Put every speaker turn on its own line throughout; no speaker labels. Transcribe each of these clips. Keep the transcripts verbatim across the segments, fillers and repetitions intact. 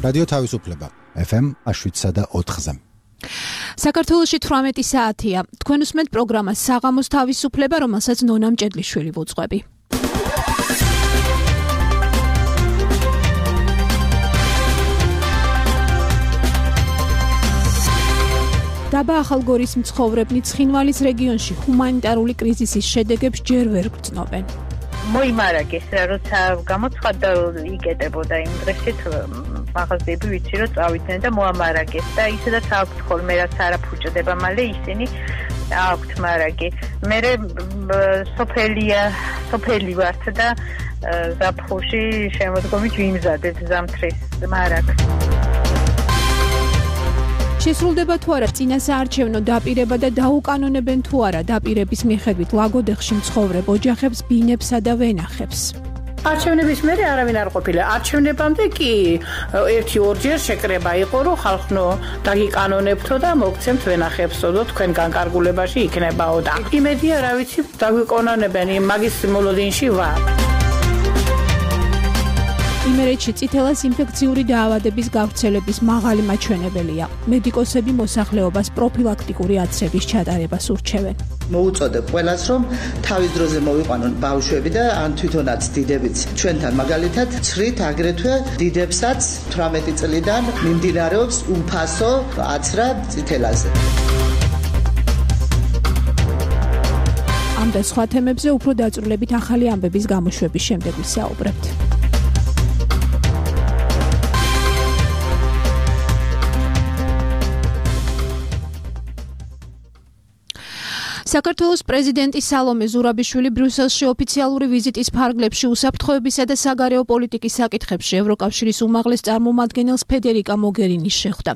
რადიო თავისუფლება ეფ ემ შვიდსა და ოთხზე.
საქართველოში თვრამეტი საათია. თქვენ უსმენთ პროგრამას საღამოს თავისუფლება, რომელსაც ნონა მჭედლიშვილი ვუძღვები. დაბა ახალგორის მცხოვრებნი ცხინვალის რეგიონში ჰუმანიტარული კრიზისის შედეგებს ჯერ ვერ გრძნობენ.
მოიმარაგეს რა, როცა გამოცხადდა იკეტებოდა იმ დღეშიც მაღაზიები ვიცი რომ წავიდნენ და მოამარაგეს და ისედაც აქვთ ხოლმე რაც არ აფუჭდება მალე ისინი აქვთ მარაგი. მე სოფელია სოფელი ვართ და ზაფხულში შემოდგომით ვიმზადეთ ზამთრის მარაგს.
შესრულდება თუ არა წინასაარჩევნო დაპირება და დაუკანონებენ თუ არა დაპირების მიხედვით ლაგოდეხში მცხოვრებ ოჯახებს, ბინებსა და ვენახებს.
არჩევნების მერე არავინ არ ყოფილა. არჩევნებამდე კი ერთი ორჯერ შეკრება იყო, რომ ხალხნო დაგიკანონებთო და მოგცემთ ვენახებს, და თქვენ განკარგულებაში იქნებაო და იმედია რა ვიცი დაგიკანონებენ, მაგის მოლოდინში ვარ.
იმერეთში წითელას ინფექციური დაავადების გავრცელების მაღალი მაჩვენებელია. მედიკოსები მოსახლეობას პროფილაქტიკური აცრების ჩატარებას ურჩევენ.
მოუწოდებ ყველას, რომ თავის დროზე მოვიყვანონ ბავშვები და ან თვითონაც დიდებიც. ჩვენთან მაგალითად ცრით აგრეთვე დიდებსაც თვრამეტი წლიდან მიმდინარეობს უფასო აცრა წითელაზე.
ამ და სხვა თემებზე უფრო დაწვრილებით ახალი ამბების გამოშვების შემდეგ ვისაუბრებთ. საქართველოს პრეზიდენტი სალომე ზურაბიშვილი ბრიუსელში ოფიციალური ვიზიტის ფარგლებში უსაფრთხოებისა და საგარეო პოლიტიკის საკითხებში ევროკავშირის უმაღლეს წარმომადგენელს ფედერიკა მოგერინის შეხვდა.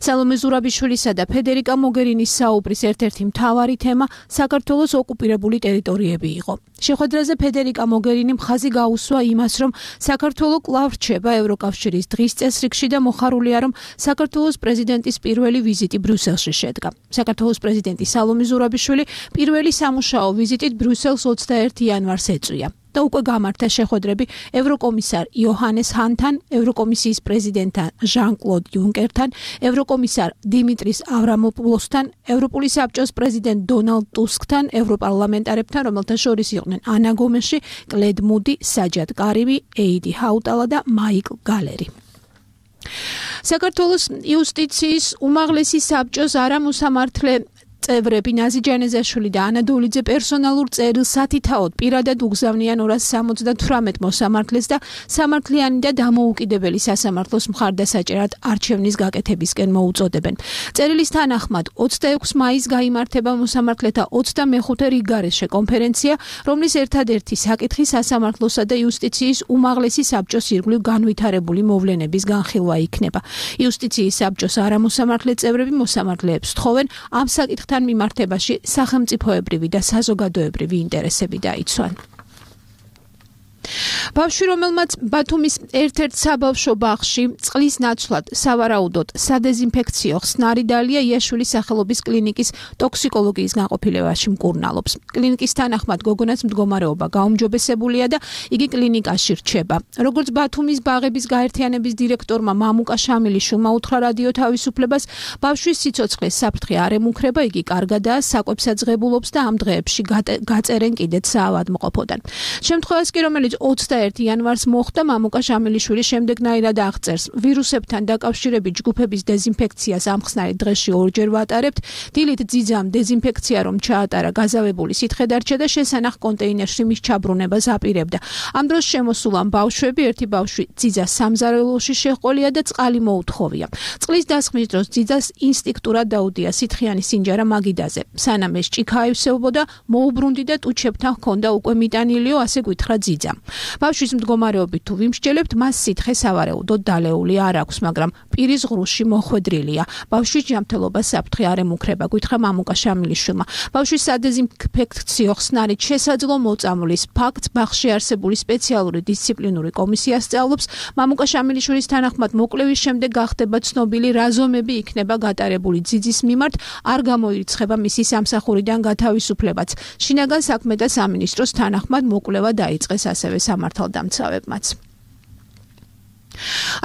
სალომე ზურაბიშვილისა და ფედერიკა მოგერინის საუბრის ერთ-ერთი მთავარი თემა საქართველოს ოკუპირებული ტერიტორიები იყო. შეხვედრაზე ფედერიკა მოგერინი მხაზი გაუსვა იმას, რომ საქართველო კვლავ რჩება ევროკავშირის დღის წესრიგში და მოხარულია, რომ საქართველოს პრეზიდენტის პირველი ვიზიტი ბრიუსელში შედგა. საქართველოს პრეზიდენტი სალომე ზურაბიშვილი პირველი სამუშაო ვიზიტით ბრიუსელს ოცდაერთი იანვარს ეწვია და უკვე გამართა შეხვედრები ევროკომისარ იოჰანეს ჰანთან, ევროკომისიის პრეზიდენტთან ჟან-კლოდ იუნკერთან, ევროკომისარ დიმიტრის ავრამოპულოსთან, ევროპული საბჭოს პრეზიდენტ დონალდ ტუსკთან, ევროპარლამენტარებთან, რომელთა შორის იყვნენ ანა გომეში, კლედ მუდი, საჯად კარიმი, ეიდი ჰაუტალა და მაიკლ გალერი. საქართველოს იუსტიციის უმაღლესი საბჭოს არამუსამართლე წევრები ნაზი ჯანეზაშვილი და ანა დოლიძე პერსონალურ წერილს სათითაოდ პირადად უგზავნიან ორას სამოცდათვრამეტ მოსამართლეს და სამართლიანი და დამოუკიდებელი სასამართლოს მხარდასაჭერად არჩევნის გაკეთებისკენ მოუწოდებენ. წერილის თანახმად ოცდაექვსი მაისს გაიმართება მოსამართლეთა ოცდამეხუთე რიგგარეშე კონფერენცია, რომლის ერთადერთი საკითხი სასამართლოსა და იუსტიციის უმაღლესი საბჭოს ირგვლივ განვითარებული მოვლენების განხილვა იქნება. იუსტიციის საბჭოს არამოსამართლე წევრები მოსამართლეებს თხოვენ ამ საკითხთან მიმართებაში სახელმწიფოებრივი და საზოგადოებრივი ინტერესები დაიცვან. ბავშვი, რომელმაც ბათუმის ერთ-ერთ საბავშვო ბაღში წყლის ნაცვლად სავარაუდოდ სადეზინფექციო ხსნარი დალია იაშვილის სახელობის კლინიკის ტოქსიკოლოგიის განყოფილებაში მკურნალობს. კლინიკის თანახმად გოგონას მდგომარეობა გაუმჯობესებულია და იგი კლინიკაში რჩება. როგორც ბათუმის ბაღების გაერთიანების დირექტორმა მამუკა შამილიშვილმა უთხრა რადიო თავისუფლებას, ბავშვის სიცოცხლეს საფრთხე არ ემუქრება, იგი კარგადაა, საკვებსაც ღებულობს და ამ დღეებში გაწერენ კიდეც საავადმყოფოდან. შემთხვევას კი, რომელიც ოცდაერთი იანვარს მოხდა, მამუკა შამილიშვილი შემდეგნაირად აღწერს: ვირუსებთან დაკავშირებით ჯგუფების დეზინფექციას ამ ხსნარი დღეში ორჯერ ვატარებთ. დილით ძიძამ დეზინფექცია რომ ჩაატარა, გაზავებული სითხე დარჩა და შესანახ კონტეინერში მის ჩაბრუნებას აპირებდა. ამ დროს შემოსულან ბავშვები, ერთი ბავშვი ძიძას სამზარეულოში შეჰყოლია და წყალი მოუთხოვია. წყლის დასხმის დროს ძიძას ინსტინქტურად დაუდია სითხიანი სინჯარა მაგიდაზე. სანამ ეს ჭიქა აივსებოდა, მოუბრუნდი და ტუჩებთან ჰქონდა უკვე მიტანილიო, ასე გითხრა ძიძამ. ბავშვის მდგომარეობით თუ ვიმსჯელებთ, მას სითხე სავარაუდოდ დალეული არ აქვს, მაგრამ პირის ღრუში მოხვედრილია. ბავშვის ჯანმრთელობა საფრთხე არ ემუქრება, გითხრა მამუკა შამილიშვილმა. ბავშვის სადეზინფექციო ხსნარით შესაძლო მოწამვლის ფაქტს ბაღში არსებული სპეციალური დისციპლინური კომისია სწავლობს. მამუკა შამილიშვილის თანახმად მოკლევის შემდეგ გახდება ცნობილი რა ზომები იქნება გატარებული ძიძის მიმართ, არ გამოირიცხება მისი სამსახურიდან გათავისუფლებაც. შინაგან საქმეთა სამინისტროს თანახმად მოკვლევა დაიწყეს ასევე სამართალდამცავებმაც.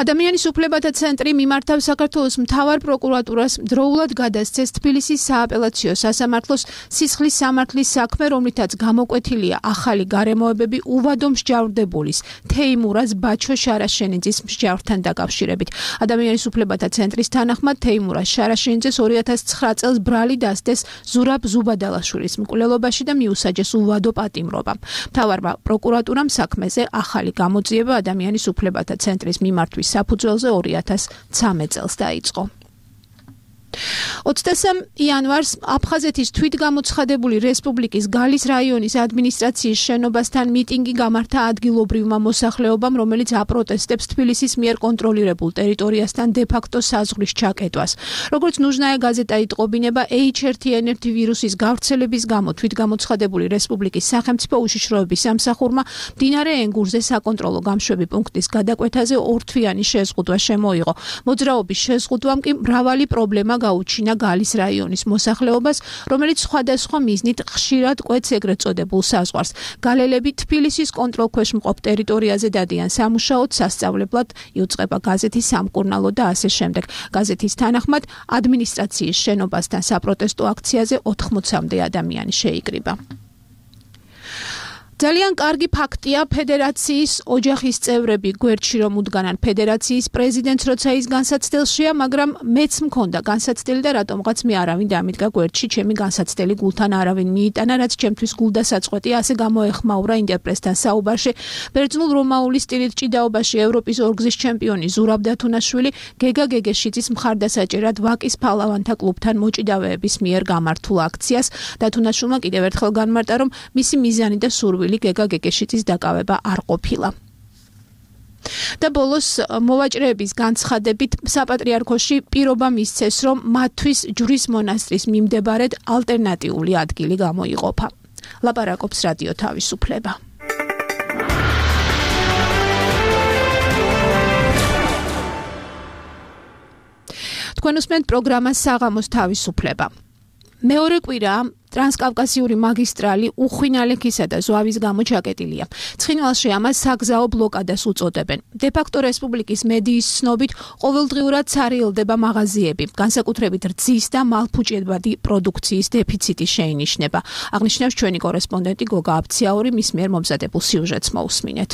ადამიანის უფლებათა ცენტრი მიმართავს საქართველოს მთავარ პროკურატურას დროულად გადასცეს თბილისის სააპელაციო სასამართლოს სისხლის სამართლის საქმე, რომლითაც გამოკვეთილია ახალი გარემოებები უვადო მსჯავრდებულის თეიმურაზ ბაჩო შარაშენიძის მსჯავრთან დაკავშირებით. ადამიანის უფლებათა ცენტრის თანახმად თეიმურაზ შარაშენიძეს ორი ათას ცხრა წელს ბრალი დასდეს ზურაბ ზუბადალაშვილის მკვლელობაში და მიუსაჯეს უვადო პატიმრობა. მთავარმა პროკურატურამ საქმეზე ახალი გამოძიება ადამიანის უფლებათა ცენტრის მიმართვის საფუძველზე ორი ათას ცხრამეტ წელს დაიწყო. ოცდასამ იანვარს აფხაზეთის თვითგამოცხადებული რესპუბლიკის გალის რაიონის ადმინისტრაციის შენობასთან მიტინგი გამართა ადგილობრივმა მოსახლეობამ, რომელიც აპროტესტებს თბილისის მიერ კონტროლირებულ ტერიტორიასთან დე-ფაქტო საზღვრის ჩაკეტვას. როგორც ნუჟნაია გაზეტა იტყობინება, ეიჩ ერთი ენ ერთი ვირუსის გავრცელების გამო თვითგამოცხადებული რესპუბლიკის სახელმწიფო უშიშროების სამსახურმა მდინარე ენგურზე საკონტროლო გამშვები პუნქტის გადაკვეთაზე ორთვიანი შეზღუდვა შემოიღო. მოძრაობის შეზღუდვამ კი მრავალი პრობლემა გაუჩინა გალის რაიონის მოსახლეობას, რომელიც სხვადასხვა მიზნით ხშირად კვეთს ეგრეთ წოდებულ საზღვარს. გალელები თბილისის კონტროლქვეშ მყოფ ტერიტორიაზე დადიან სამუშაოდ, სასწავლებლად, იუწყება გაზეთის სამკურნალო და ასე შემდეგ. გაზეთის თანახმად, ადმინისტრაციის შენობასთან საპროტესტო აქციაზე ოთხმოცამდე ადამიანი შეიკრიბა. ძალიან კარგი ფაქტია, ფედერაციის ოჯახის წევრები გვერდში რომ უდგანან ფედერაციის პრეზიდენტს, როცა ის განსაცდელშია, მაგრამ მეც მქონდა განსაცდელი და რატომღაც მე არავინ დამიდგა გვერდში, ჩემი განსაცდელი გულთან არავინ მიიტანა, რაც ჩემთვის გულდასაწყვეტია, ასე გამოეხმაურა ინტერპრესთან საუბარში. ბერძნულ რომაული სტილით ჭიდაობაში ევროპის ორგზის ჩემპიონი ზურაბ დათუნაშვილი გეგა გეგეშიძის მხარდასაჭერად ვაკის ფალავანთა კლუბთან მოჭიდავეების მიერ გამართულ აქციას. დათუნაშვილმა კიდევ ერთხელ განმარტა, რომ მისი მიზანი და სურვილი გეგა გეგეშიძის დაკავება არ ყოფილა. და ბოლოს მოვაჭრეების განცხადებით საპატრიარქოში პირობა მისცეს, რომ მათთვის ჯვრის მონასტრის მიმდებარედ ალტერნატიული ადგილი გამოიყოფა. ლაპარაკობს რადიო თავისუფლება. თქვენ უსმენთ პროგრამას საღამოს თავისუფლება. მეორე კვირა ტრანსკავკასიური მაგისტრალი უხვინალექისა და ზვავის გამო ჩაკეტილია. ცხინვალში ამას საგზაო ბლოკადას უწოდებენ. დე-ფაქტო რესპუბლიკის მედიის ცნობით, ყოველდღიურად ცარიელდება მაღაზიები, განსაკუთრებით რძის და მალფუჭებადი პროდუქციის დეფიციტი შეინიშნება. აღნიშნავს ჩვენი კორესპონდენტი გოგა აბციაური, მის მიერ მომზადებულ სიუჟეტს მოусმინეთ.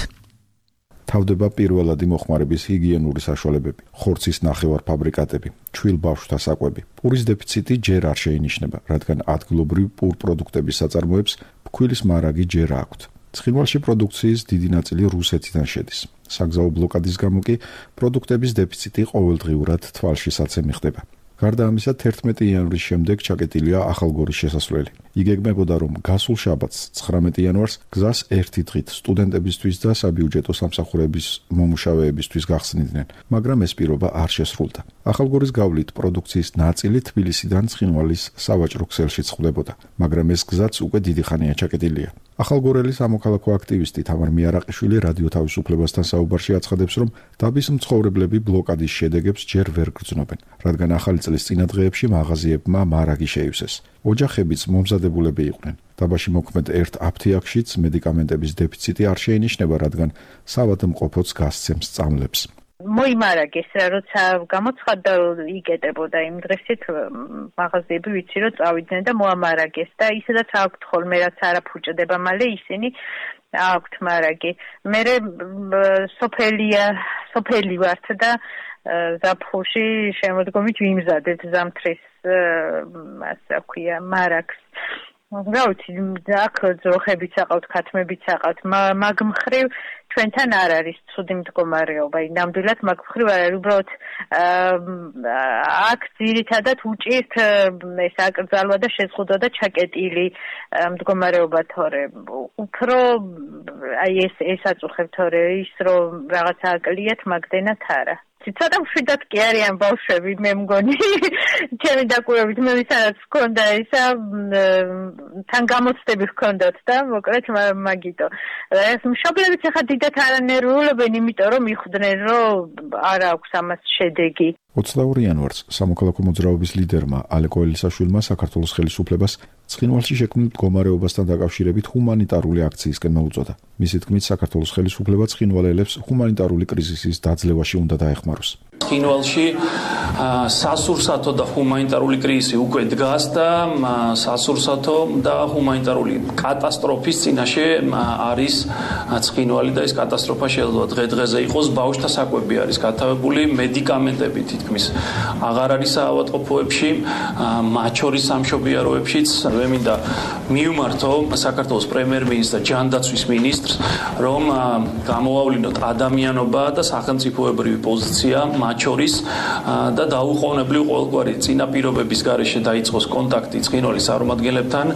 თავდება პირველადი მოხმარების ჰიგიენური საშუალებები, ხორცის ნახევარფაბრიკატები, ჩვილ ბავშვთა საკვები. პურის დეფიციტი ჯერ არ შეინიშნება, რადგან ადგილობრივ პურ პროდუქტების საწარმოებს ფქვილის მარაგი ჯერ აქვთ. ცხინვალში პროდუქციის დიდი ნაწილი რუსეთიდან შედის. საგზაო ბლოკადის გამო კი პროდუქტების დეფიციტი ყოველდღიურად თვალშისაცემი ხდება. გარდა ამისა, თერთმეტი იანვრის შემდეგ ჩაკეტილია ახალგორის შესასვლელი. იგეგმებოდა, რომ გასულ შაბათს, ცხრამეტი იანვარს, გზას ერთი დღით სტუდენტებისთვის და საბიუჯეტო სამსახურების მომუშავეებისთვის გახსნიდნენ, მაგრამ ეს პირობა არ შესრულდა. ახალგორის გავლით პროდუქციის ნაწილი თბილისიდან ცხინვალის სავაჭრო ქსელში წყდებოდა, მაგრამ ეს გზაც უკვე დიდი ხანია ჩაკეტილია. ახალგორელი სამოქალაქო აქტივისტი თამარ მიარაყიშვილი რადიო თავისუფლებასთან საუბარში აცხადებს, რომ დაბის მცხოვრებლები ბლოკადის შედეგებს ჯერ ვერ გრძნობენ, რადგან ახალი წლის წინადღეებში მაღაზიებმა მარაგი შეივსეს. ოჯახებიც მომზადებულები იყვნენ. დაბაში მოქმედ ერთ აფთიაქშიც მედიკამენტების დეფიციტი არ შეინიშნება, რადგან საავადმყოფოც გასცემს სწავლებს.
მოიმარაგეს რა, როცა გამოცხადდა იკეტებოდა იმ დღესით მაღაზიები ვიცი რომ წავიდნენ და მოამარაგეს და ისედაც აქვთ ხოლმე რაც არაფუჭდება მალე ისინი აქვთ მარაგი. მე სოფელია სოფელი ვართ და ზაფხულში შემოდგომით ვიმზადეთ ზამთრის ასე ქვია მარაგს. რა ვიცი, აქ ძროხებიც აყავთ, ქათმებიც აყავთ, მაგ მხრივ ჩვენთან არ არის ცუდი მდგომარეობა. ნამდვილად მაგ მხრივ არ არის, უბრალოდ აქ ძირითადად უჭირთ ეს აკრძალვა და შეზღუდვა და ჩაკეტილი მდგომარეობა თორე. უფრო აი ეს ეს აწუხებ თორე ის რომ რაღაცა აკლიათ მაგდენად არა. ცოტა მშვიდად კი არიან ბავშვები, მე მგონი ჩემი დაკვირვებით მე ვისაც ჰქონდა ისა თან გამოცდები ჰქონდათ და მოკლედ მაგიტო. ეს მშობლებიც ახლა დიდად არანერვიულებენ, იმიტომ რომ მიხვდნენ რომ არ აქვს ამას შედეგი.
ოცდაორი იანვარს სამოქალაქო მოძრაობის ლიდერმა ალე კოელისაშვილმა საქართველოს ხელისუფლებას ცხინვალში შექმნილ მდგომარეობასთან დაკავშირებით ჰუმანიტარული აქციისკენ მოუწოდა. მისი თქმით, საქართველოს ხელისუფლება ცხინვალელებს ჰუმანიტარული კრიზისის დაძლევაში უნდა დაეხმაროს.
ცხინვალში სასურსათო და ჰუმანიტარული კრიზისი უკვე დგას და სასურსათო და ჰუმანიტარული კატასტროფის წინაშე არის ცხინვალი და ეს კატასტროფა შეიძლება დღე-დღეზე იყოს. ბავშვთა საკვები არის გათავებული, მედიკამენტები თითქმის აღარ არის საავადმყოფოებში, მათ შორის სამშობიაროებშიც. მე მინდა მივმართო საქართველოს პრემიერ-მინისტრს და ჯანდაცვის მინისტრს, რომ გამოვავლინოთ ადამიანობა და სახელმწიფოებრივი პოზიცია მათ შორის და დაუყოვნებლივ ყოველგვარი წინაპირობების გარეშე დაიწყოს კონტაქტი ცხინვალის წარმომადგენლებთან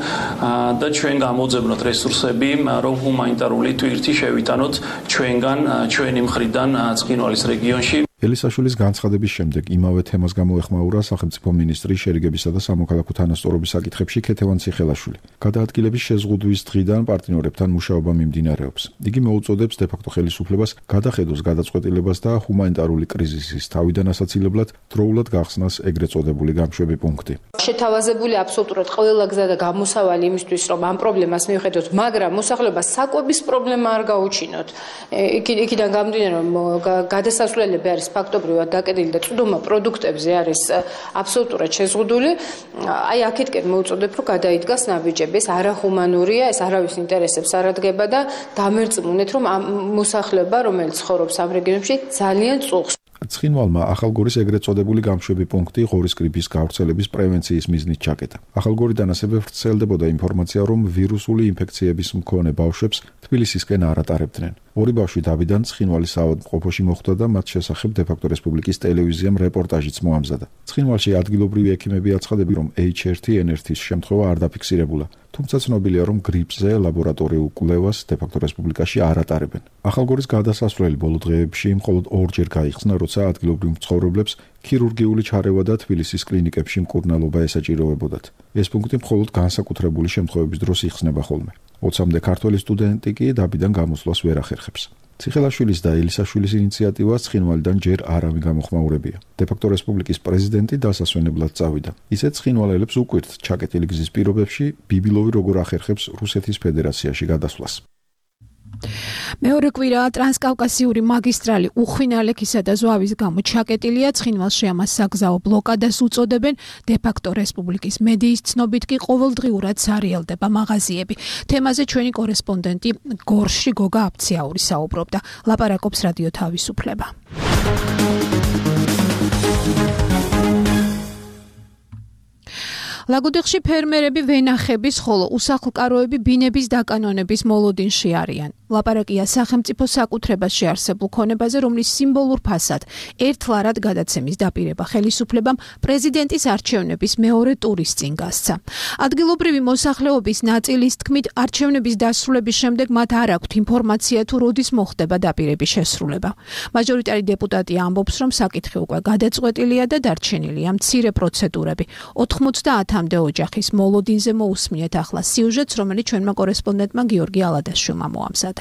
და ჩვენ გამოძებნოთ რესურსები, რომ ჰუმანიტარული ტვირთი შევიტანოთ ჩვენგან, ჩვენი მხრიდან ცხინვალის რეგიონში.
ელისაშვილის განცხადების შემდეგ იმავე თემას გამოეხმაურა სახელმწიფო მინისტრი შერიგებისა და სამოქალაქო თანასწორობის საკითხებში ქეთევან ციხელაშვილი. გადაადგილების შეზღუდვის დღიდან პარტნიორებთან მუშაობა მიმდინარეობს. იგი მოუწოდებს დე-ფაქტო ხელისუფლებას გადახედოს გადაწყვეტილებას და ჰუმანიტარული კრიზისის თავიდან ასაცილებლად დროულად გახსნას ეგრეთ წოდებული გამშვები პუნქტი.
შეთავაზებული აბსოლუტურად ყველა გზა და გამოსავალი იმისთვის, რომ ამ პრობლემას მივხედოთ, მაგრამ მოსახლეობას საკვების პრობლემა არ გაუჩინოთ. იქიდან გამომდინარე, რომ გადასასვლელები არის ფაქტობრივად დაკეტილი და წვდომა პროდუქტებზე არის აბსოლუტურად შეზღუდული. აი აქეთკენ მოუწოდებ, რომ გადაიდგას ნაბიჯები. ეს არახუმანურია, ეს არავის ინტერესებს არ ადგება და დამერწმუნეთ, რომ ამ მოსახლეობა, რომელიც ცხოვრობს ამ რეგიონებში, ძალიან წუხს.
ცხინვალმა ახალგორის ეგრეთ წოდებული გამშვები პუნქტი ღორის გრიპის გავრცელების პრევენციის მიზნით ჩაკეტა. ახალგორიდან ასევე ვრცელდებოდა ინფორმაცია, რომ ვირუსული ინფექციების მქონე ბავშვებს თბილისისკენ არ ატარებდნენ. ორი ბავშვი დავიდან ცხინვალის საავადმყოფოში მოხვდა და მათ შესახებ დე-ფაქტო რესპუბლიკის ტელევიზიამ რეპორტაჟიც მოამზადა. ცხინვალში ადგილობრივი ექიმები აცხადებენ, რომ ეიჩ ერთი ენ ერთის შემთხვევა არ დაფიქსირებულა. თუმცა ცნობილია, რომ გრიპზე ლაბორატორიულ კვლევას დე-ფაქტო რესპუბლიკაში არ ატარებენ. ახალგორის გადასასვლელი ბოლო დღეებში მხოლოდ ორჯერ გაიხსნა, როცა ადგილობრივ მცხოვრებლებს ქირურგიული ჩარევა და თბილისის კლინიკებში მკურნალობა ესაჭიროებოდათ. ეს პუნქტი მხოლოდ განსაკუთრებული შემთხვევების დროს იხსნება ხოლმე. ოცამდე ქართველი სტუდენტი კი დაბიდან გამოსვლას ვერ ახერხებს. ციხელაშვილის და ელისაშვილის ინიციატივა ცხინვალიდან ჯერ არავინ გამოხმაურებია. დე-ფაქტო რესპუბლიკის პრეზიდენტი დასასვენებლად წავიდა. ისეც ცხინვალელებს უკვირთ ჩაკეტილი გზის პირობებში ბიბილოვი როგორ ახერხებს რუსეთის ფედერაციაში გადასვლას.
მეორე კვირაა ტრანსკავკასიური მაგისტრალი უხვინალექისა და ზვავის გამო ჩაკეტილია. ცხინვალში ამას საგზაო ბლოკადას უწოდებენ. დე-ფაქტო რესპუბლიკის მედიის ცნობით კი ყოველდღიურად სარიელდება მაღაზიები. თემაზე ჩვენი კორესპონდენტი გორში გოგა აფციაური საუბრობდა. ლაპარაკობს რადიო თავისუფლება. ლაგოდეხში ფერმერები ვენახების, ხოლო უსახლკაროები ბინების დაკანონების მოლოდინში არიან. ლაპარაკია სახელმწიფო საკუთრებაში არსებულ ქონებაზე, რომლის სიმბოლურ ფასად ერთლარად გადაცემის დაპირება ხელისუფლებამ პრეზიდენტის არჩევნების მეორე ტურის წინ გასცა. ადგილობრივი მოსახლეობის ნაწილის თქმით, არჩევნების დასრულების შემდეგ მათ არ აქვთ ინფორმაცია თუ როდის მოხდება დაპირების შესრულება. მაჟორიტარი დეპუტატი ამბობს, რომ საკითხი უკვე გადაწყვეტილია და დარჩენილია მცირე პროცედურები. ოთხმოცდაათამდე ოჯახის მოლოდინზე მოусმინეთ ახლა სიუჟეტს, რომელიც ჩვენმა კორესპონდენტმა გიორგი ალადაშვილმა მოამზადა.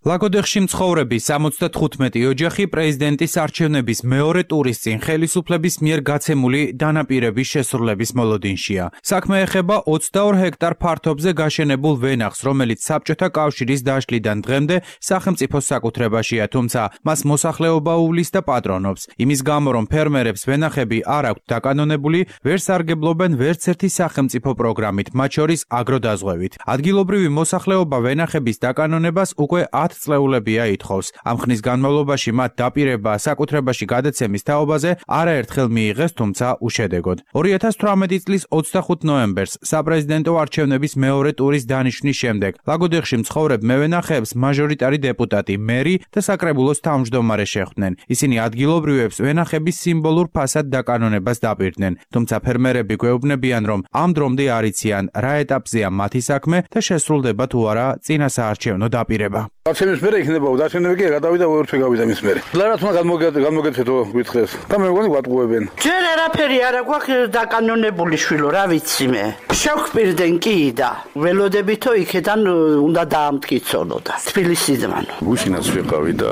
ლაგოდეხში მცხოვრები სამოცდათხუთმეტი ოჯახი პრეზიდენტის არჩევნების მეორე ტურის წინ ხელისუფლების მიერ გაცემული დანაპირების შესრულების მოლოდინშია. საქმე ეხება ოცდაორ ჰექტარ ფართობზე გაშენებულ ვენახს, რომელიც საბჭოთა კავშირის დაშლიდან დღემდე სახელმწიფოს საკუთრებაშია, თუმცა მას მოსახლეობა უვლის და პატრონობს. იმის გამო, რომ ფერმერებს ვენახები არ აქვთ დაკანონებული, ვერ სარგებლობენ ვერც ერთი სახელმწიფო პროგრამით, მათ შორის აგროდაზღვევით. ადგილობრივი მოსახლეობა ვენახების დაკანონებას უკვე ათ წლეულებია ითხოვს. ამ ხნის განმავლობაში მათ დაპირება საკუთრებაში გადაცემის თაობაზე არაერთხელ მიიღეს, თუმცა უშედეგოდ. ორი ათას თვრამეტი წლის ოცდახუთ ნოემბერს საპრეზიდენტო არჩევნების მეორე ტურის დანიშვნის შემდეგ ლაგოდეხში მცხოვრებ მევენახეებს მაჟორიტარი დეპუტატი, მერი და საკრებულოს თავმჯდომარე შეხვდნენ. ისინი ადგილობრივებს ვენახების სიმბოლურ ფასად დაკანონებას დაპირდნენ, თუმცა ფერმერები გვეუბნებიან, რომ ამ დრომდე არ იციან, რა ეტაპზეა მათი საქმე და შესრულდება თუ არა წინასაარჩევნო დაპირება.
არჩევნების მერე იქნება დარჩენები კი გადავიდა ვერცვე გავიდა მის მერე. ლარათმა გამოგეთეთო გითხეს და მე მგონი ვატყუებენ.
ჯერ არაფერი არა გვაქვს დაკანონებული შვილო, რა ვიცი მე. შევხვპირდნენ კი და ველოდებითო იქიდან უნდა დაამტკიცონო და თბილისიდან.
გუშინაც ვიყავი და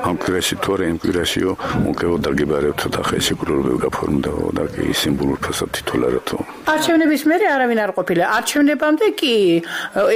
ამ კვირაში თორე იმ კვირაშიო მოკეო დაგებარებთო და ხელშეკრულებები გაფორმდაო და კი სიმბოლურ ფასად თითოლარათო.
არჩევნების მერე არავინ არ ყოფილა. არჩევნებამდე კი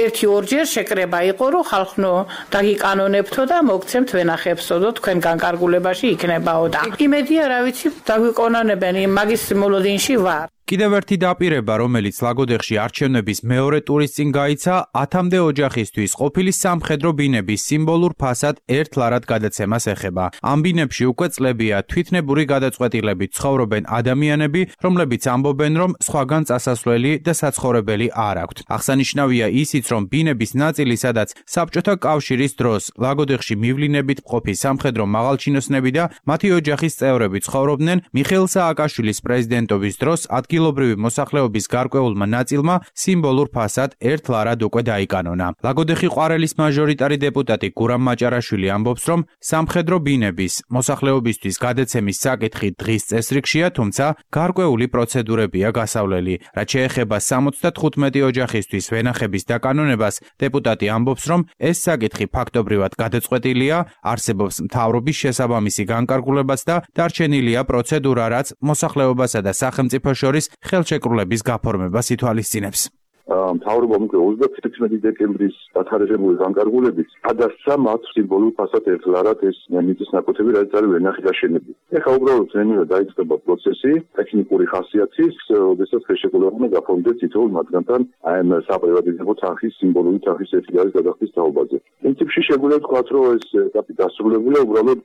ერთი ორჯერ შეკრება იყო, რომ ხალხნო დაგიკანონებთო და მოგცემთ ვენახებსო და თქვენ განკარგულებაში იქნებაო და იმედია რა ვიცი დაგვიკონონებენ მაგის მოლოდინში ვარ.
კიდევ ერთი დაპირება, რომელიც ლაგოდეხში არჩევნების მეორე ტურის წინ გაიცა, ათამდე ოჯახისთვის ყოფილი სამხედრო ბინების სიმბოლურ ფასად ერთლარად გადაცემას ეხება. ამ ბინებში უკვე წლებია თვითნებური გადაწყვეტილებით ცხოვრობენ ადამიანები, რომლებიც ამბობენ, რომ სხვაგან წასასვლელი და საცხოვრებელი არ აქვთ. აღსანიშნავია ისიც, რომ ბინების ნაწილი, სადაც საბჭოთა კავშირის დროს ლაგოდეხში მივლინებით მყოფი სამხედრო მაღალჩინოსნები და მათი ოჯახის წევრები ცხოვრობდნენ, მიხეილ სააკაშვილის პრეზიდენტობის დროს ადგილ ადგილობრივი მოსახლეობის გარკვეულმა ნაწილმა სიმბოლურ ფასად ერთლარად უკვე დაიკანონა. ლაგოდეხი ყვარელის მაჟორიტარი დეპუტატი გურამ მაჭარაშვილი ამბობს, რომ სამხედრო ბინების მოსახლეობისთვის გადაცემის საკითხი დღის წესრიგშია, თუმცა გარკვეული პროცედურებია გასავლელი. რაც შეეხება სამოცდათხუთმეტი ოჯახისთვის ვენახების დაკანონებას, დეპუტატი ამბობს, რომ ეს საკითხი ფაქტობრივად გადაწყვეტილია, არსებობს მთავრობის შესაბამისი განკარგულებაც და დარჩენილია პროცედურა, რაც მოსახლეობასა და სახელმწიფოს შორის ხელშეკრულების გაფორმებას ითვალისწინებს.
მთავრობა ოცდათერთმეტი დეკემბრის დათარიღებული განკარგულებით გადასცა მათ სიმბოლურ ფასად ერთლარად ეს მიწის ნაკვეთები, რაც არის ვენახი გაშენებული. ეხლა უბრალოდ ზემოთ დაიწყება პროცესი ტექნიკური ხასიათის, როდესაც ხელშეკრულება გაფორმდეს თითოეულ მათგანთან აი ამ საპრივატიზებო თანხის სიმბოლური თანხის ერთი არის გადახდის თაობაზე. პრინციპში შეგვიძლია ვთქვათ, რომ ეს ეტაპი დასრულებულია, უბრალოდ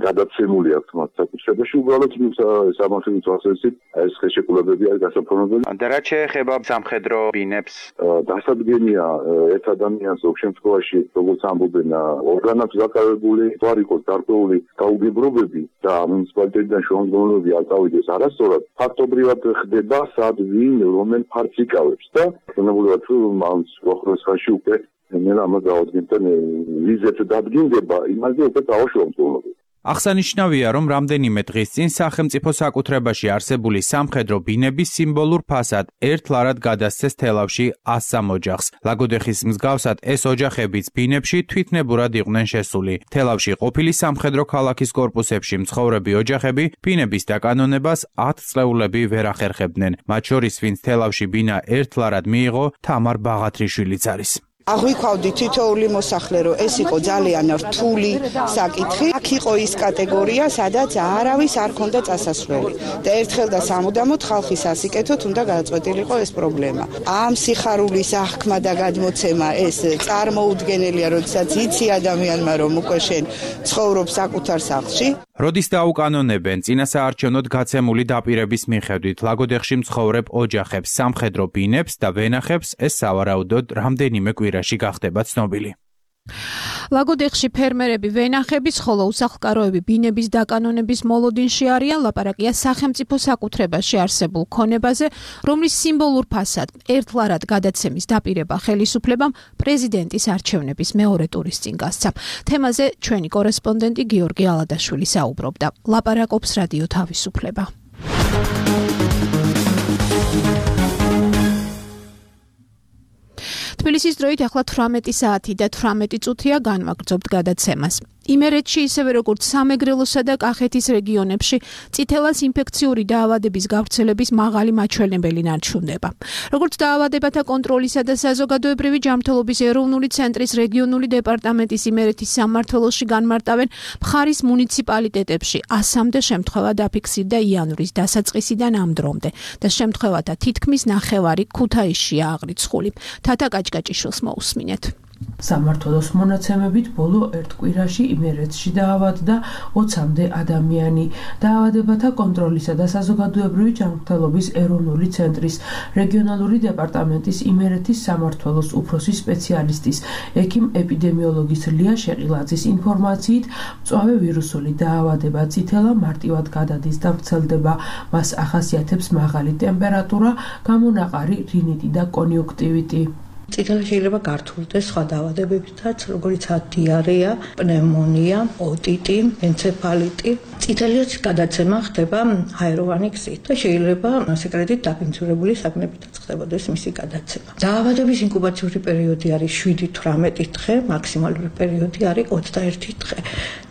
გადაცემული აქვს მათ საკუთრებაში, უბრალოდ სამართლის თვალსაზრისით ეს ხელშეკრულებები არის გასაფორმებელი.
და რაც შეეხება სამხედრო ბინებს
დასადგენია ერთ ადამიანს ოქ შემთხვევაში როგორც ამბობენ ორგანოებს დაკავებული თვარ იყოს გარკვეული გაუგებრობები და მუნიციპალიტეტიდან შემოგონებები არ წავიდეს არასწორად ფაქტობრივად ხდება სად ვინ რომელ ფარც იკავებს და ხნებულად ამ სოხროს ხაში უკვე მე ამას დაუდგენთან ვიზეთ დადგინდება იმაზე უკვე დავაშოვებთ.
აღსანიშნავია, რომ რამდენიმე დღის წინ სახელმწიფო საკუთრებაში არსებული სამხედრო ბინების სიმბოლურ ფასად ერთლარად გადასცეს თელავში ასსამ ოჯახს. ლაგოდეხის მსგავსად ეს ოჯახებიც ბინებში თვითნებურად იყვნენ შესული. თელავში ყოფილი სამხედრო ქალაქის კორპუსებში მცხოვრები ოჯახები ბინების დაკანონებას ათ წლეულები ვერ ახერხებდნენ. მათ შორის ვინც თელავში ბინა ერთლარად მიიღო, თამარ ბაღათრიშვილიც არის.
აღვიქვავდი თითოეული მოსახლე, რომ ეს იყო ძალიან რთული საკითხი. აქ იყო ის კატეგორია, სადაც არავის არ ქონდა წასასვლელი და ერთხელ და სამუდამოდ ხალხის ასიკეთოთ უნდა გადაწყვეტილიყო ეს პრობლემა. ამ სიხარულის აღქმა და გადმოცემა ეს წარმოუდგენელია, როდესაც იცი ადამიანმა, რომ უკვე შენ ცხოვრობ საკუთარ სახლში.
როდის დაუკანონებენ წინასაარჩევნოდ გაცემული დაპირების მიხედვით ლაგოდეხში მცხოვრებ ოჯახებს სამხედრო ბინებს და ვენახებს, ეს სავარაუდოდ რამდენიმე კვირაში გახდება ცნობილი.
ლაგოდეხში ფერმერები ვენახების, ხოლო უსახლკაროები ბინების დაკანონების მოლოდინში არიან. ლაპარაკია სახელმწიფო საკუთრებაში არსებულ ქონებაზე, რომლის სიმბოლურ ფასად ერთლარად გადაცემის დაპირება ხელისუფლებამ პრეზიდენტის არჩევნების მეორე ტურის წინ გასცა. თემაზე ჩვენი კორესპონდენტი გიორგი ალადაშვილი საუბრობდა. ლაპარაკობს რადიო თავისუფლება. თბილისის დროით ახლა თვრამეტი საათი და თვრამეტი წუთია განვაგრძობთ გადაცემას. იმერეთში ისევე როგორც სამეგრელოსა და კახეთის რეგიონებში წითელას ინფექციური დაავადების გავრცელების მაღალი მაჩვენებელი ნარჩუნდება. როგორც დაავადებათა კონტროლისა და საზოგადოებრივი ჯანმრთელობის ეროვნული ცენტრის რეგიონული დეპარტამენტის იმერეთის სამმართველოში განმარტავენ, მხარის მუნიციპალიტეტებში ასამდე შემთხვევა დაფიქსირდა იანვრის დასაწყისიდან ამ დრომდე და შემთხვევათა თითქმის ნახევარი ქუთაისშია აღრიცხული. თათა კაჭკაჭიშვილს მოусმინეთ.
სამმართველოს მონაცემებით ბოლო ერთ კვირაში იმერეთში დაავადდა ოცამდე ადამიანი. დაავადებათა კონტროლისა და საზოგადოებრივი ჯანმრთელობის ეროვნული ცენტრის რეგიონალური დეპარტამენტის იმერეთის სამმართველოს უფროსი სპეციალისტის ექიმ ეპიდემიოლოგის ლია შეყილაძის ინფორმაციით, მწვავე ვირუსული დაავადება წითელა მარტივად გადადის და ვრცელდება. მას ახასიათებს მაღალი ტემპერატურა, გამონაყარი რინიტი და კონიუნქტივიტი.
წითელი შეიძლება გართულდეს სხვა დაავადებებითაც, როგორიც დიარეა, პნევმონია, ოტიტი, ენცეფალიტი. წითელიც გადაცემა ხდება ჰაეროვანი გზით და შეიძლება სეკრეტით დაფინანსირებული საგნებითაც ხდებოდეს მისი გადაცემა. დაავადების ინკუბაციური პერიოდი არის შვიდი თვრამეტი დღე, მაქსიმალური პერიოდი არის ოცდაერთი დღე.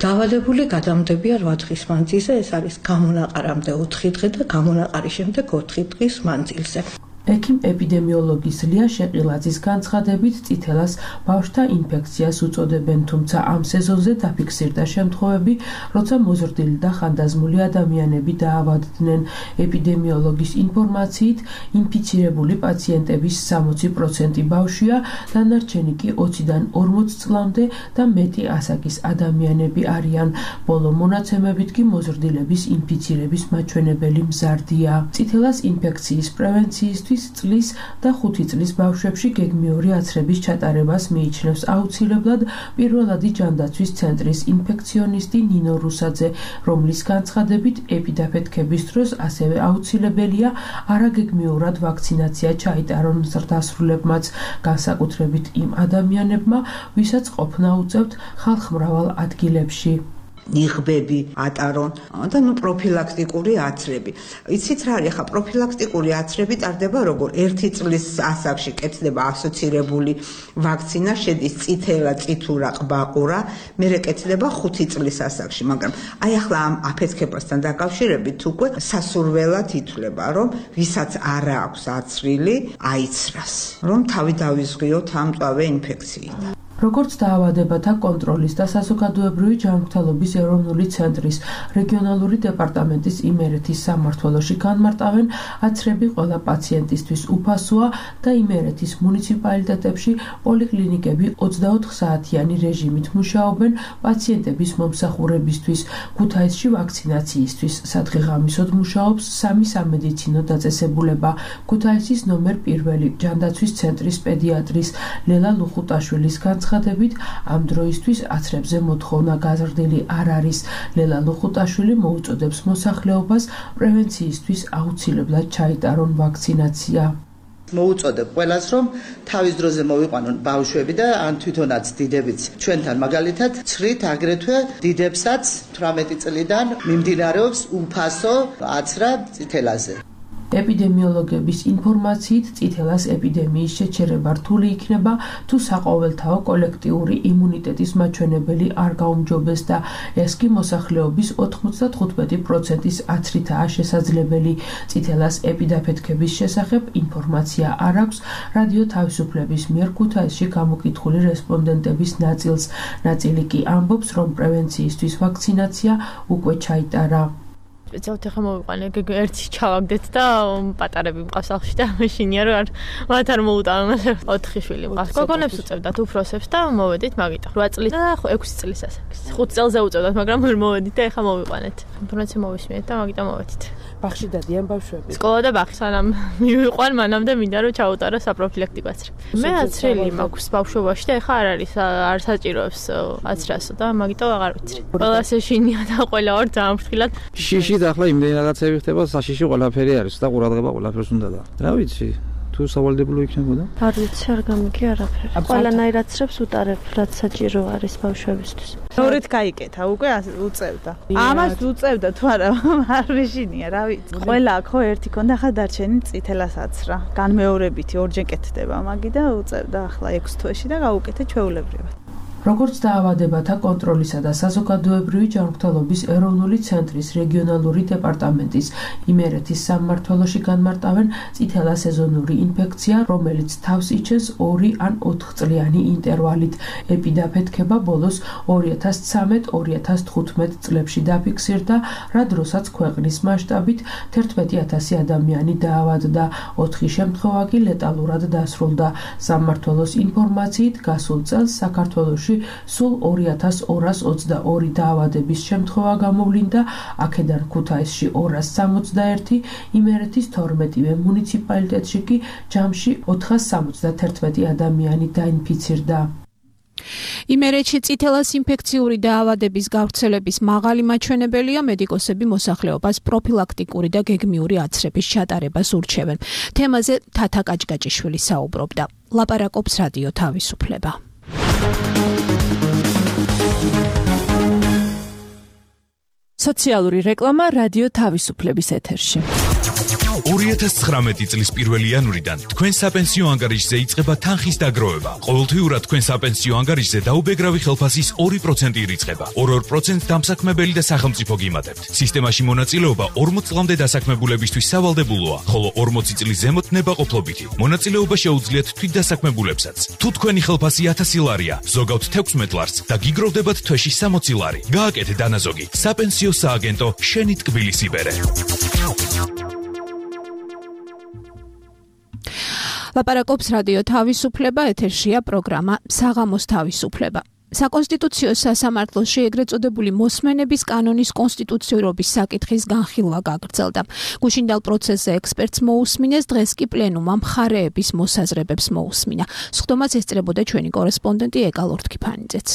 დაავადებული გადამდებია რვა დღის მანძილზე, ეს არის გამონაყარამდე ოთხი დღე და გამონაყარის შემდეგ ოთხი დღის მანძილზე.
ექიმ ეპიდემიოლოგის ლია შეყილაძის განცხადებით წითელას ბავშვთა ინფექციას უწოდებენ, თუმცა ამ სეზონზე დაფიქსირდა შემთხვევები, როცა მოზრდილი და ხანდაზმული ადამიანები დაავადდნენ. ეპიდემიოლოგის ინფორმაციით, ინფიცირებული პაციენტების სამოცი პროცენტი ბავშვია, დანარჩენი კი ოციდან ორმოც წლამდე და მეტი ასაკის ადამიანები არიან. ბოლო მონაცემებით კი მოზრდილების ინფიცირების მაჩვენებელი მზარდია. წითელას ინფექციის პრევენციისთვის წლის და ხუთი წლის ბავშვებში გეგმიური აცრების ჩატარებას მიიჩნევს აუცილებლად პირველადი ჯანდაცვის ცენტრის ინფექციონისტი ნინო რუსაძე, რომლის განცხადებით ეპიდაფეთქების დროს ასევე აუცილებელია არაგეგმიურად ვაქცინაცია ჩაიტარონ ზრდასრულებმაც, განსაკუთრებით იმ ადამიანებმა, ვისაც ყოფნა უწევთ ხალხმრავალ ადგილებში.
ნიღბები ატარონ და ნუ პროფილაქტიკური აცრები. იცით რა არის, ხა პროფილაქტიკური აცრები ტარდება როგორ? ერთი წლის ასაკში კეთდება ასოცირებული ვაქცინა, შედის წითელა, წითურა, ყბაყურა, მერე კეთდება ხუთი წლის ასაკში, მაგრამ აი ახლა ამ აფეთქებასთან დაკავშირებით უკვე სასურველად ითვლება, რომ ვისაც არ აქვს აცრილი, აიცრას, რომ თავი დავიზღვიოთ ამ მწვავე ინფექციიდან.
როგორც დაავადებათა კონტროლის და საზოგადოებრივი ჯანმრთელობის ეროვნული ცენტრის რეგიონალური დეპარტამენტის იმერეთის სამმართველოში განმარტავენ, აცრები ყველა პაციენტისთვის უფასოა და იმერეთის მუნიციპალიტეტებში პოლიკლინიკები ოცდაოთხ საათიანი რეჟიმით მუშაობენ პაციენტების მომსახურებისთვის. ქუთაისში ვაქცინაციისთვის სადღეღამისოდ მუშაობს სამი სამედიცინო დაწესებულება. ქუთაისის ნომერ პირველი ჯანდაცვის ცენტრის პედიატრის ლელა ლუხუტაშვილის განცხადებით, ამ დროისთვის აცრებზე მოთხოვნა გაზრდილი არ არის. ლელა ლუხუტაშვილი მოუწოდებს მოსახლეობას პრევენციისთვის აუცილებლად ჩაიტარონ ვაქცინაცია.
მოუწოდებ ყველას, რომ თავის დროზე მოვიყვანონ ბავშვები და ან თვითონაც დიდებიც. ჩვენთან მაგალითად ცხრით აგრეთვე დიდებსაც თვრამეტი წლიდან მიმდინარეობს უფასო აცრა წითელაზე.
ეპიდემიოლოგების ინფორმაციით, წითელას ეპიდემიის შეჩერება რთული იქნება, თუ საყოველთაო კოლექტიური იმუნიტეტის მაჩვენებელი არ გაუმჯობეს და ეს კი მოსახლეობის ოთხმოცდათხუთმეტი პროცენტის აცრითაა შესაძლებელი. წითელას ეპიდაფეთქების შესახებ ინფორმაცია არ აქვს რადიო თავისუფლების მიერ ქუთაისში გამოკითხული რესპონდენტების ნაწილს. ნაწილი კი ამბობს, რომ პრევენციისთვის ვაქცინაცია უკვე ჩაიტარა.
სპეციალურად ახლა მოვიყვანე, ერთი ჩავაგდეთ და პატარები მყავს სახლში და მეშინია რომ არ მათ არ მოუტანონ ოთხი შვილი მყავს. გოგონებს უწევდათ უფროსებს და მოვედით მაგიტო. რვა წლის და ექვსი წლის ასაკის. ხუთ წელზე უწევდათ, მაგრამ ვერ მოვედით და ახლა მოვიყვანეთ. ინფორმაცია მოვისმინეთ და მაგიტო მოვედით.
ბაღში დადიან ბავშვები.
სკოლა და ბაღი სანამ მივიყვან, მანამდე მინდა რომ ჩაუტარო საპროფილაქტიკო აცრა. მე აცრელი მაქვს ბავშვობაში და ახლა არ არის არ საჭიროებს აცრასო და მაგიტო აღარ ვიცი. ყველა შეშინია და ყველა ორ ძალიან ფრთხილად.
შიში და ახლა იმდენი რაღაცები ხდება, საშიში ყველაფერი არის და ყურადღება ყველაფერს უნდა და. რა ვიცი, თუ სავალდებულო იქნებოდა?
არ ვიცი, არ გამიგი არაფერი. ყველანაირ აცრებს უტარებ, რაც საჭირო არის ბავშვებისთვის.
ნორით გაიკეთა, უკვე უწევდა. ამას უწევდა თუ არა, არ ვიშინია, რა ვიცი. ყველა ხო ერთი ქონდა, ახლა დარჩენი წითელას აცრა. განმეორებითი ორჯერ კეთდება მაგი და უწევდა ახლა ექვს თვეში და გაუკეთე ჩვეულებრივად.
როგორც დაავადებათა კონტროლისა და საზოგადოებრივი ჯანმრთელობის ეროვნული ცენტრის რეგიონალური დეპარტამენტის იმერეთის სამმართველოში განმარტავენ, წითელა სეზონური ინფექცია, რომელიც თავს იჩენს ორი ან ოთხწლიანი ინტერვალით. ეპიდაფეთქება ბოლოს ორი ათას ცხრამეტ ორი ათას თხუთმეტ წლებში დაფიქსირდა, რა დროსაც ქვეყნის მასშტაბით თერთმეტი ათასი ადამიანი დაავადდა, ოთხი შემთხვევა კი ლეტალურად დასრულდა. სამმართველოს ინფორმაციით, გასულ წელს საქართველოში სულ ორი ათას ორას ოცდაორი დაავადების შემთხვევა გამოვლინდა, აქედან ქუთაისში ორას სამოცდაერთი, იმერეთის თორმეტივე მუნიციპალიტეტში კი ჯამში ოთხას სამოცდათერთმეტი ადამიანი დაინფიცირდა.
იმერეთში წითელას ინფექციური დაავადების გავრცელების მაღალი მაჩვენებელია, მედიკოსები მოსახლეობას პროფილაქტიკური და გეგმიური აცრების ჩატარებას ურჩევენ. თემაზე თათა კაჭკაჭიშვილი საუბრობდა. ლაპარაკობს რადიო თავისუფლება.
სოციალური რეკლამა რადიო თავისუფლების ეთერში.
ორი ათას ცხრამეტი წლის პირველი იანვრიდან თქვენ საპენსიო ანგარიშზე იწყება თანხის დაგროვება. ყოველთვიურად თქვენ საპენსიო ანგარიშზე დაუბეგრავი ხელფასის ორი პროცენტი ირიცხება. ორ-ორ პროცენტს დამსაქმებელი და სახელმწიფო გიმატებთ. სისტემაში მონაწილეობა ორმოც წლამდე დასაქმებულებისთვის სავალდებულოა, ხოლო ორმოცი წლის ზემოთ ნებაყოფლობითი. მონაწილეობა შეუძლიათ თვითდასაქმებულებსაც. თუ თქვენი ხელფასი ათასი ლარია, ზოგავთ თექვსმეტ ლარს და გიგროვდებათ თვეში სამოცი ლარი. გააკეთე დანაზოგი. საპენსიო სააგენტო შენი ტკბილის იბერე.
ლაპარაკობს რადიო თავისუფლება, ეთერშია პროგრამა საღამოს თავისუფლება. საკონსტიტუციო სასამართლოში ეგრეთ წოდებული მოსმენების კანონის კონსტიტუციურობის საკითხის განხილვა გაგრძელდა. გუშინდელ პროცესზე ექსპერტს მოусმინეს, დღეს კი პლენუმმა მხარეების მოსაზრებებს მოусმინა. სხდომას ესწრებოდა ჩვენი კორესპონდენტი ეკალ ორთქიფანიძეც.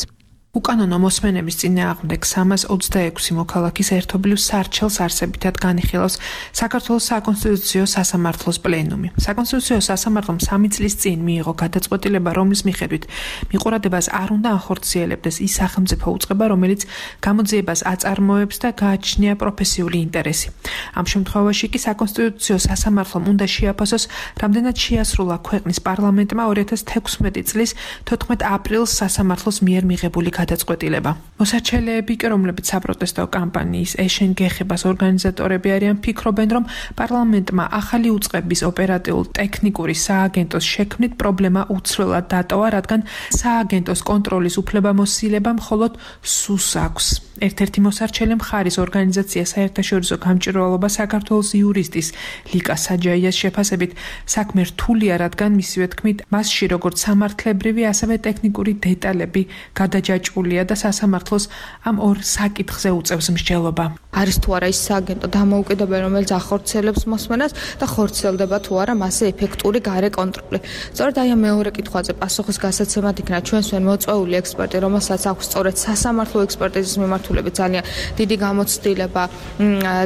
უკანონო მოსმენების წინააღმდეგ სამას ოცდაექვსი მოქალაქის ერთობლივ სარჩელს არსებითად განიხილავს საქართველოს საკონსტიტუციო სასამართლოს პლენუმი. საკონსტიტუციო სასამართლომ სამი წლის წინ მიიღო გადაწყვეტილება, რომლის მიხედვით მიყურადებას არ უნდა ახორციელებდეს ის სახელმწიფო უწყება, რომელიც გამოძიებას აწარმოებს და გააჩნია პროფესიული ინტერესი. ამ შემთხვევაში კი საკონსტიტუციო სასამართლომ უნდა შეაფასოს, რამდენად შეასრულა ქვეყნის პარლამენტმა ორი ათას თექვსმეტი წლის თოთხმეტ აპრილს სასამართლოს მიერ მიღებული გადაწყვეტილება. მოსარჩელეები კი, რომლებიც საპროტესტო კამპანიის ეშენ გეხებას ორგანიზატორები არიან, ფიქრობენ, რომ პარლამენტმა ახალი უწყების ოპერატიულ-ტექნიკური სააგენტოს შექმნით პრობლემა უცვლელად დატოვა, რადგან სააგენტოს კონტროლის უფლებამოსილება მხოლოდ სუს აქვს. ერთ-ერთი მოსარჩელე მხარის ორგანიზაცია საერთაშორისო გამჭვირვალობა საქართველოს იურისტის ლიკა საჯაიას შეფასებით საქმე რთულია, რადგან მისივე თქმით მასში როგორც სამართლებრივი, ასევე ტექნიკური დეტალები გადაჯაჭვულია და სასამართლოს ამ ორ საკითხზე უწევს მსჯელობა.
არის თუ არა ის სააგენტო დამოუკიდებელი, რომელიც ახორციელებს მოსმენას და ხორციელდება თუ არა მასზე ეფექტური გარე კონტროლი. სწორედ აი ამ მეორე კითხვაზე პასუხის გასაცემად იქნა ჩვენს მან მოწვეული ექსპერტი, რომელსაც აქვს სწორედ სასამართლო ექსპერტიზის მიმართულებით ძალიან დიდი გამოცდილება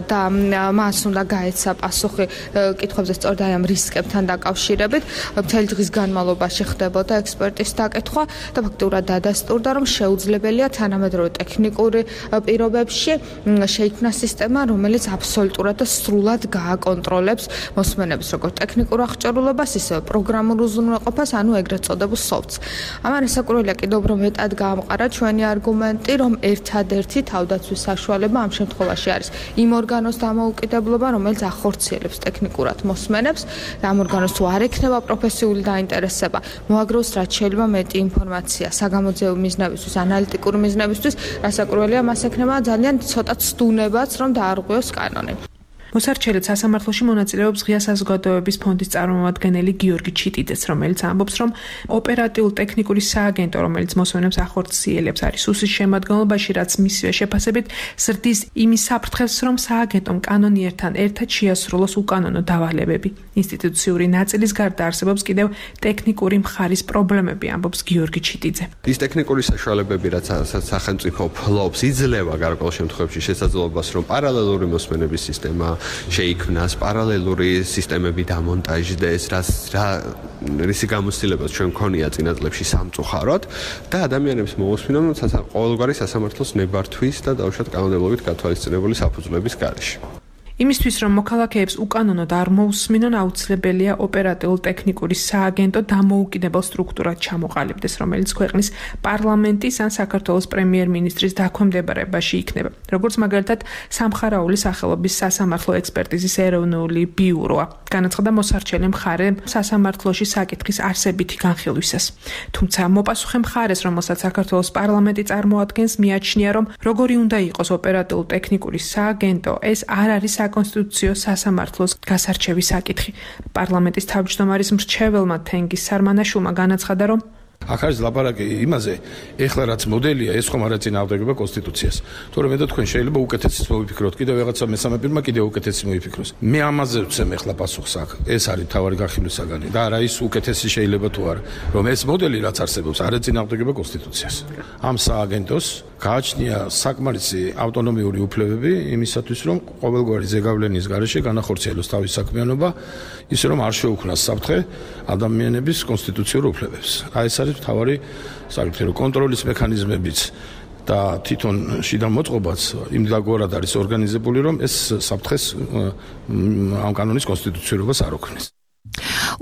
და მას უნდა გაეცა პასუხი კითხვებზე სწორედ აი ამ რისკებთან დაკავშირებით. მთელი დღის განმავლობაში ხდებოდა ექსპერტის დაკითხვა და ფაქტურად დადასტურდა, რომ შეუძლებელია თანამედროვე ტექნიკური პირობებში შეიქმნა სისტემა, რომელიც აბსოლუტურად და სრულად გააკონტროლებს მოსმენების როგორც ტექნიკურ აღჭურვილობას, ისევე პროგრამულ უზრუნველყოფას, ანუ ეგრეთ წოდებულ soft-ს. ამან ესაკურველია კიდევ უფრო მეტად გაამყარა ჩვენი არგუმენტი, რომ ერთადერთი თავდაცვის საშუალება ამ შემთხვევაში არის იმ ორგანოს დამოუკიდებლობა, რომელიც ახორციელებს ტექნიკურად მოსმენებს და ამ ორგანოს თუ არ ექნება პროფესიული დაინტერესება, მოაგროვოს რაც შეიძლება მეტი ინფორმაცია საგამოძიებო მიზნებისთვის, ანალიტიკური მიზნებისთვის, რასაკურველია მას ექნება ძალიან ცოტა ცდუნებაც, რომ დაარღვიოს კანონი.
მოსარჩელეთ სასამართლოში მონაწილეობს ღია საზოგადოების ფონდის წარმომადგენელი გიორგი ჩიტიძეც, რომელიც ამბობს, რომ ოპერატიულ-ტექნიკური სააგენტო, რომელიც მოსმენებს ახორციელებს, არის უსის შემადგენლობაში, რაც მისივე შეფასებით ზრდის იმის საფრთხეს, რომ სააგენტომ კანონიერთან ერთად შეასრულოს უკანონო დავალებები. ინსტიტუციური ნაწილის გარდა არსებობს კიდევ ტექნიკური მხარის პრობლემები, ამბობს გიორგი ჩიტიძე.
ის ტექნიკური საშუალებები, რაც სახელმწიფო ფლობს, იძლევა გარკვეულ შემთხვევაში შესაძლებლობას, რომ პარალელური მოსმენების სისტემა შეიქმნას, პარალელური სისტემები დამონტაჟდეს, რაც რა რისი გამოცდილებაც ჩვენ მქონია წინა წლებში სამწუხაროდ და ადამიანებს მოусმინონ ყოველგვარი სასამართლოს ნებართვის და დაუშვათ კანონმდებლობით გათვალისწინებული საფუძვლების გარეშე.
იმისთვის, რომ მოქალაქეებს უკანონოდ არ მოусმინონ, აუცილებელია ოპერატიულ-ტექნიკური სააგენტო დამოუკიდებელ სტრუქტურად ჩამოყალიბდეს, რომელიც ქვეყნის პარლამენტის ან საქართველოს პრემიერ-მინისტრის დაქვემდებარებაში იქნება. როგორც მაგალითად, სამხარაული სახელობის სასამართლო ექსპერტიზის ეროვნული ბიუროა. განაცხადა მოსარჩელე მხარე სასამართლოში საკითხის არსებითი განხილვისას. თუმცა მოპასუხე მხარეს, რომელსაც საქართველოს პარლამენტი წარმოადგენს, მიაჩნია, რომ როგორი უნდა იყოს ოპერატიულ-ტექნიკური სააგენტო, ეს არ არის საკონსტიტუციო სასამართლოს გასარჩევის საკითხი. პარლამენტის თავმჯდომარის მრჩეველმა თენგიზ სარმანაშვილმა განაცხადა, რომ
აქ არის ლაპარაკი იმაზე, ეხლა რაც მოდელია, ეს ხომ არ ეწინააღმდეგება კონსტიტუციას. თორემ და თქვენ შეიძლება უკეთესიც მოვიფიქროთ, კიდევ რაღაცა მესამე პირმა კიდევ უკეთესი მოიფიქროს. მე ამაზე ვცემ ეხლა პასუხს აქ. ეს არის თავარი განხილვის საგანი და არა ის უკეთესი შეიძლება თუ არა, რომ ეს მოდელი რაც არსებობს, არ ეწინააღმდეგება კონსტიტუციას. ამ სააგენტოს გააჩნია საკმარისი ავტონომიური უფლებები იმისათვის, რომ ყოველგვარი ზეგავლენის გარეშე განახორციელოს თავის საქმიანობა, ისე რომ არ შეუქმნას საფრთხე ადამიანების კონსტიტუციურ უფლებებს. აი ეს არის მთავარი საკითხი, რომ კონტროლის მექანიზმებიც და თვითონ შიდა მოწყობაც იმდაგორად არის ორგანიზებული, რომ ეს საფრთხეს ამ კანონის კონსტიტუციურობას არ ოქმნის.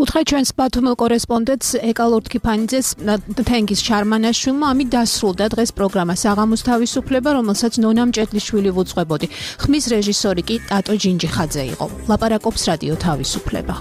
უთხრა ჩვენს ბათუმელ კორესპონდენტს ეკალორთ ქიფანიძეს თენგის შარმანაშვილმა ამით დასრულდა დღეს პროგრამა საღამოს თავისუფლება, რომელსაც ნონა მჭედლიშვილი ვუძღვებოდი. ხმის რეჟისორი კი ტატო ჯინჯიხაძე იყო. ლაპარაკობს რადიო თავისუფლება.